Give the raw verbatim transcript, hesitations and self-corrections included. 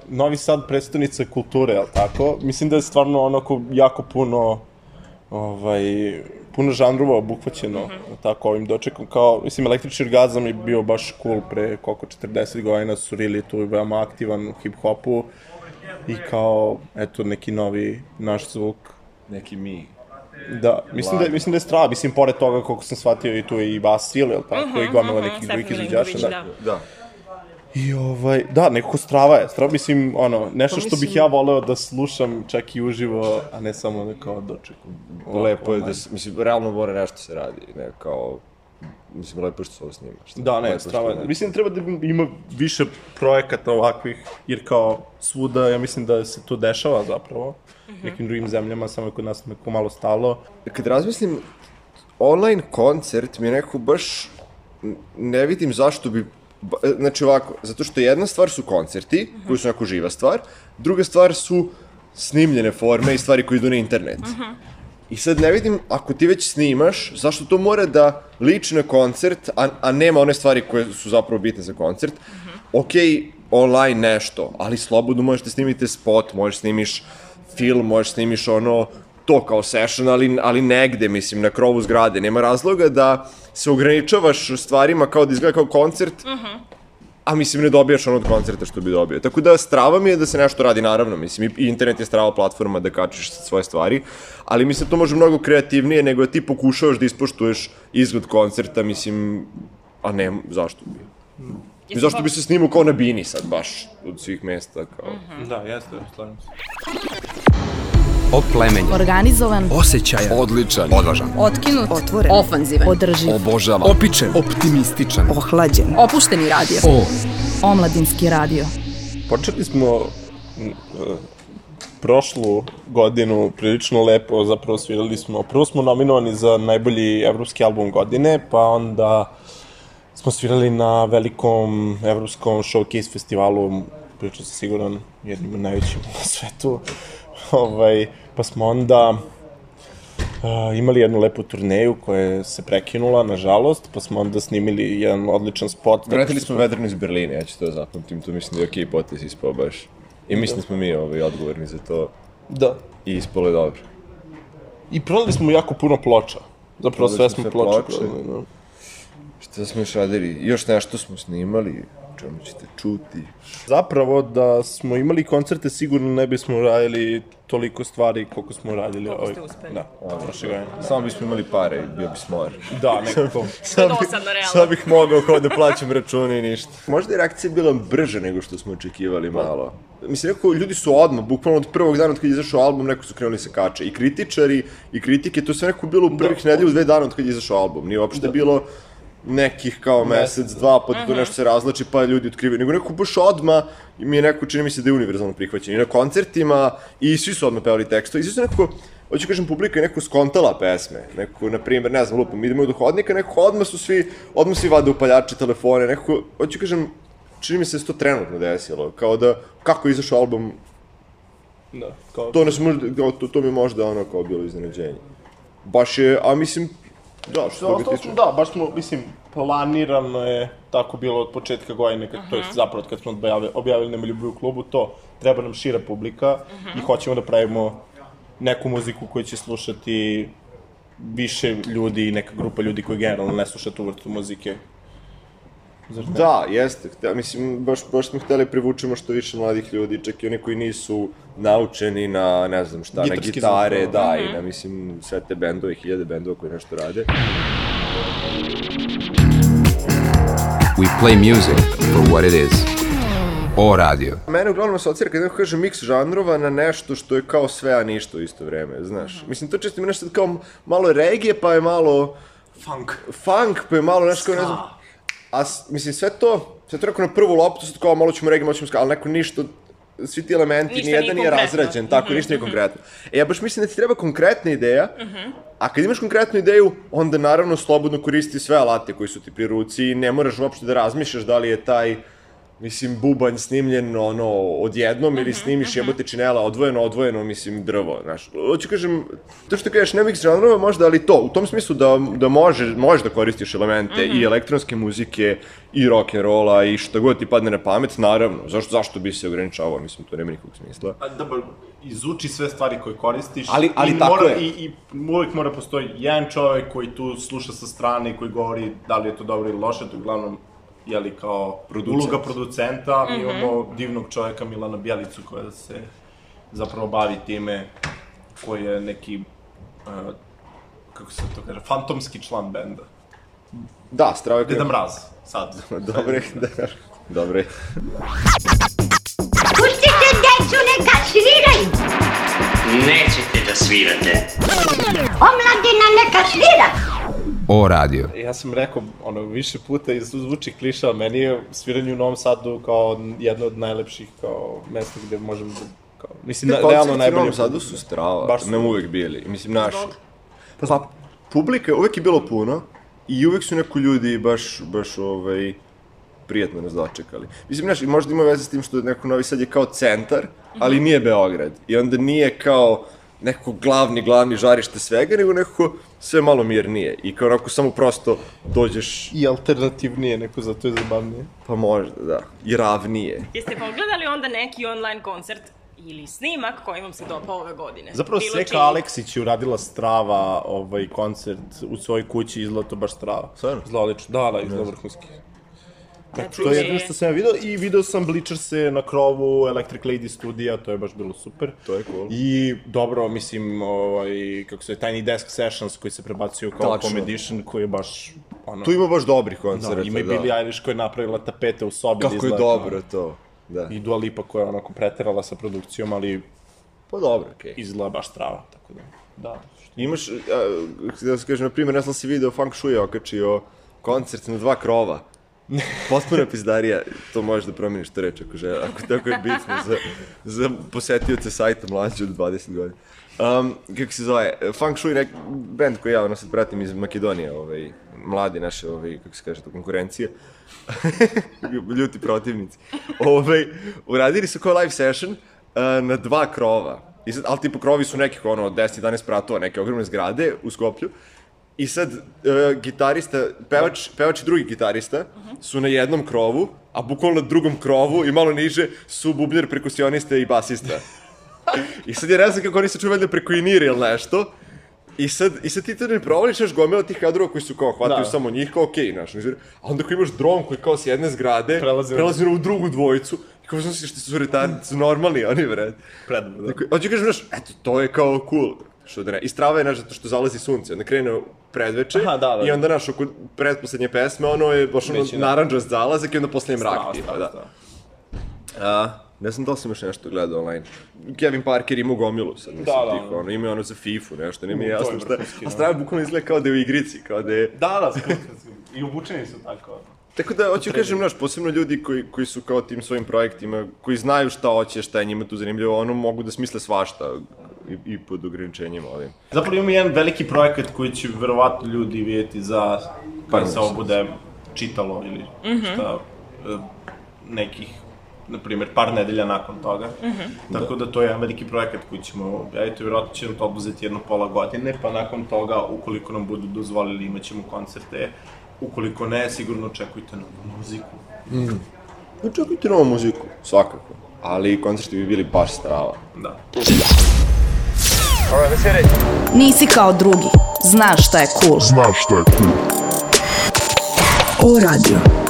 Novi Sad predstavnica kulture, jel tako? Mislim da je stvarno onako jako puno, ovaj, puno žanrova obuhvaćeno, mm-hmm. tako, ovim dočekom. Kao, mislim, Električni orgazam je bio baš cool pre koliko četrdeset godina, su Rili tu veoma aktivan u hip-hopu i kao, eto, neki novi naš zvuk. Neki mi. Da, mislim da, mislim da je strava, mislim, pored toga, koliko sam shvatio, i tu je i Vasil, jel tako, uh-huh, i gomila uh-huh, nekih drugih izvođača. Da. da. I ovaj, da, nekako strava je, strava, mislim, ono, nešto što bih ja voleo da slušam čak i uživo, a ne samo nekao dočeku. Lepo je da, mislim, realno mora nešto se radi, ne, kao, mislim, lepo što se ovo snima. Da, ne, strava je. Mislim, treba da ima više projekata ovakvih, jer kao svuda, ja mislim da se to dešava zapravo, mm-hmm. nekim drugim zemljama, samo je kod nas neko malo stalo. Kad razmislim, online koncert mi je nekako baš, ne vidim zašto bi, znači ovako, zato što jedna stvar su koncerti, mm-hmm. koji su nekako živa stvar, druga stvar su snimljene forme i stvari koje idu na internet. Mm-hmm. I sad ne vidim, ako ti već snimaš, zašto to mora da liči na koncert, a, a nema one stvari koje su zapravo bitne za koncert. Mm-hmm. Okej, online nešto, ali slobodno možeš da snimite spot, možeš snimiš film, možeš snimiš ono, to kao session, ali, ali negde, mislim, na krovu zgrade. Nema razloga da se ograničavaš stvarima kao da izgleda kao koncert, uh-huh. a mislim ne dobijaš ono od koncerta što bi dobio. Tako da strava mi je da se nešto radi, naravno, mislim, i internet je strava platforma da kačiš svoje stvari, ali mislim to može mnogo kreativnije nego da ti pokušavaš da ispoštuješ izgled koncerta, mislim, a ne, zašto bi? Hmm. I zašto bi se snimao kao na bini sad, baš, od svih mesta, kao... Uh-huh. Da, jeste, slavim se. Oplemenjen, organizovan, osjećajan, odličan, odvažan, otkinut, otvoren, ofanzivan, održiv, obožavan, opičen, optimističan, ohlađen, opušteni radio. O. Omladinski radio. Počeli smo uh, prošlu godinu prilično lepo, zapravo svirali smo, prvo smo nominovani za najbolji evropski album godine, pa onda smo svirali na velikom evropskom showcase festivalu, pričao sam siguran, jednim od najvećim na svetu. Ovaj, pa smo onda uh, imali jednu lepu turneju koja se prekinula, nažalost, pa smo onda snimili jedan odličan spot. Vratili smo Vedrano iz Berlina, ja ću to zapamtim, to mislim da je okej potez ispao baš. I mislim da smo mi ovaj, odgovorni za to. Da. I ispalo je dobro. I prodali smo jako puno ploča. Zapravo sve smo ploče prodali, no. Šta smo još radili? Još nešto smo snimali, čemu ćete čuti. Zapravo da smo imali koncerte sigurno ne bismo radili toliko stvari koliko smo radili. Koliko ste uspeli. Da, prošle godine. Samo bismo imali pare i bio bi smor. Da, nekako. Sad dosadno, realno. Sad bih mogao kao da plaćam račune i ništa. Možda je reakcija bila brža nego što smo očekivali malo. Mislim, neko, ljudi su odmah, bukvalno od prvog dana od kada je izašao album, neko su krenuli se kače. I kritičari, i kritike, to sve neko bilo u prvih nedelju, dve dana od kada je izašao album. Nije uopšte bilo nekih kao mesec, dva, pa to nešto se razlači, pa ljudi otkrivaju. Nego neko baš odmah, mi je neko, čini mi se da je univerzalno prihvaćen. I na koncertima, i svi su odmah pevali tekstove. I svi su neko, hoću kažem, publika je neko skontala pesme. Neko, na primjer, ne znam, lupam, idemo u dohodnika, neko odmah su svi, odmah svi vade upaljače, telefone, neko, hoću kažem, čini mi se da se to trenutno desilo. Kao da, kako je izašao album, da, kao... to, nas možda, to, to mi je možda ono kao bilo iznenađenje. Baš je, a mislim, da, što toga tiče. Da, baš smo, mislim, planirano je tako bilo od početka godine, kad, uh-huh. to je zapravo kad smo objavili, objavili Nema ljubavi u klubu, to treba nam šira publika uh-huh. i hoćemo da pravimo neku muziku koju će slušati više ljudi i neka grupa ljudi koji generalno ne sluša tu vrstu muzike. Da, jeste. Mislim, baš, baš smo hteli privučemo što više mladih ljudi, čak i oni koji nisu naučeni na, ne znam šta, gitarski na gitare, zvuk, da, mm-hmm. i na, mislim, sve te bendove, hiljade bendova koji nešto rade. We play music for what it is. O radio. Mene uglavnom asocira kad neko kaže miks žanrova na nešto što je kao sve, a ništa u isto vreme, znaš. Mm-hmm. Mislim, to često mi nešto kao malo regije, pa je malo... Funk. Funk, pa je malo nešto kao, ne znam... A, mislim, sve to, sve to neko na prvu loptu, sad kao malo ćemo regije, malo ćemo ska, ali neko ništa, svi ti elementi, nijedan nije razrađen, tako, mm-hmm. ništa nije konkretno. E, ja baš mislim da ti treba konkretna ideja, mm-hmm. a kad imaš konkretnu ideju, onda naravno slobodno koristi sve alate koji su ti pri ruci i ne moraš uopšte da razmišljaš da li je taj, mislim, bubanj snimljen, ono, odjednom, ili snimiš jebote činela, odvojeno, odvojeno, mislim, drvo, znaš. Hoću kažem, to što kažeš, ne mix žanrova možda, ali to, u tom smislu da, da može, možeš da koristiš elemente i elektronske muzike, i rock'n'rolla, i šta god ti padne na pamet, naravno, zašto, zašto bi se ograničavao, mislim, to nema nikog smisla. A, da, izuči sve stvari koje koristiš, ali, ali i, tako mora, je. i, i uvijek mora postoji jedan čovjek koji tu sluša sa strane i koji govori da li je to dobro ili loše, to uglavnom jeli kao Producent. Uloga producenta, mi imamo divnog čovjeka Milana Bjelicu koja se zapravo bavi time, koji je neki, uh, kako se to kaže, fantomski član benda. Da, strava je... Deda Mraz, sad. Dobre, da, dobre. Pustite decu neka sviraju! Nećete da svirate. Omladina neka svira! O radio. Ja sam rekao, ono, više puta i zvuči kliša, meni je sviranje u Novom Sadu kao jedno od najlepših, kao, mesta gde možemo da, kao, mislim, na, realno najbolje. Koncerti u Novom Sadu su strava, baš su nam uvek bili, mislim, naši. Pa, publika uvek je bilo puno i uvek su neko ljudi baš, baš, ovaj, prijatno nas dočekali. Mislim, znaš, možda ima veze s tim što neko Novi Sad je kao centar, ali nije Beograd. I onda nije kao nekako glavni, glavni žarište svega, nego nekako sve malo mirnije. I kao onako samo prosto dođeš... I alternativnije, neko zato je zabavnije. Pa možda, da. I ravnije. Jeste pogledali onda neki online koncert ili snimak koji vam se dopao ove godine? Zapravo Bilo Seka čiji? Aleksić je uradila strava ovaj koncert u svojoj kući, izgleda to baš strava. Stvarno? Izgleda lično. Da, da, izgleda vrhunski. Znači, To je jedno što sam ja vidio i video sam Bleachers-e na krovu Electric Lady studija, to je baš bilo super. To je cool. I dobro, mislim, ovaj, kako se je, Tiny Desk Sessions koji se prebacio kao Tačno. home edition, koji je baš, ono... Tu ima baš dobrih Da, koncerta, ima i da. Billie Eilish koja je napravila tapete u sobi. da Kako je izgleda dobro to, da. I Dua Lipa koja je onako preterala sa produkcijom, ali Pa dobro, okej. izgleda baš strava, tako da... Da, Imaš, a, da se kažem, na primjer, ne znam si video, Funk Shui je okačio koncert na dva krova. Potpuna pizdarija, to možeš da promeniš to reč ako žele, ako tako je bitno za, za posetioce sajta mlađe od dvadeset godina. Um, kako se zove, Funk Shui, nek, band koji ja ono sad pratim iz Makedonije, ovaj, mladi naše, ovaj, kako se kaže to, konkurencije, ljuti protivnici, ovaj, uradili su kao live session uh, na dva krova, I sad, ali tipo krovi su nekih ono deset jedanaest pratova, neke ogromne zgrade u Skoplju. I sad, uh, gitarista, pevač, pevač i drugi gitarista su na jednom krovu, a bukvalno na drugom krovu i malo niže su bubnjar, perkusionista i basista. I sad je ne znam kako oni se čuju valjda preko Iniri ili nešto. I sad, i sad ti to ne provališ, znaš, gomila tih kadrova koji su kao, hvataju da. samo njih, kao okej, okay, znaš. A onda ako imaš dron koji kao s jedne zgrade, Prelazi, prelazi u drugu dvojicu, i kao znaš što su retardi, su normalni, oni vred. Predobro, da. Dakle, hoću kažem, znaš, eto, to je kao cool. Što da ne, i strava je, znaš, zato što zalazi sunce, onda krene predveče, Aha, da, da. i onda, znaš, oko pretposlednje pesme, ono je baš ono Većina. naranđast zalazak i onda posle mrak, Strava, tipa, strava, da. strava. A, ne znam da li sam još nešto gledao online. Kevin Parker ima gomilu sad, mislim, Da, da, tih, da. ono, ima ono za FIFA, nešto, nije mi Mm, to je jasno šta. vrhunski, A da. strava bukvalno izgleda kao da je u igrici, kao da je... Da, da, skutno, i obučeni su tako. Tako da, hoću kažem, znaš, posebno ljudi koji, koji su kao tim svojim projektima, koji znaju šta hoće, šta je njima tu zanimljivo, ono mogu da smisle svašta i, i pod ograničenjima ovim. Zapravo imamo jedan veliki projekat koji će verovatno ljudi vidjeti za kada se ovo meseci. bude čitalo ili šta, e, nekih, na primjer, par nedelja nakon toga. Tako da to je jedan veliki projekat koji ćemo objaviti, vjerojatno će nam to oduzeti jedno pola godine, pa nakon toga, ukoliko nam budu dozvolili, imat ćemo koncerte. Ukoliko ne, sigurno očekujte novu muziku. Očekujte novu muziku, svakako. Ali koncerti bi bili baš strava. Da. Nisi kao drugi. Znaš šta je cool. Znaš šta je cool. O radio.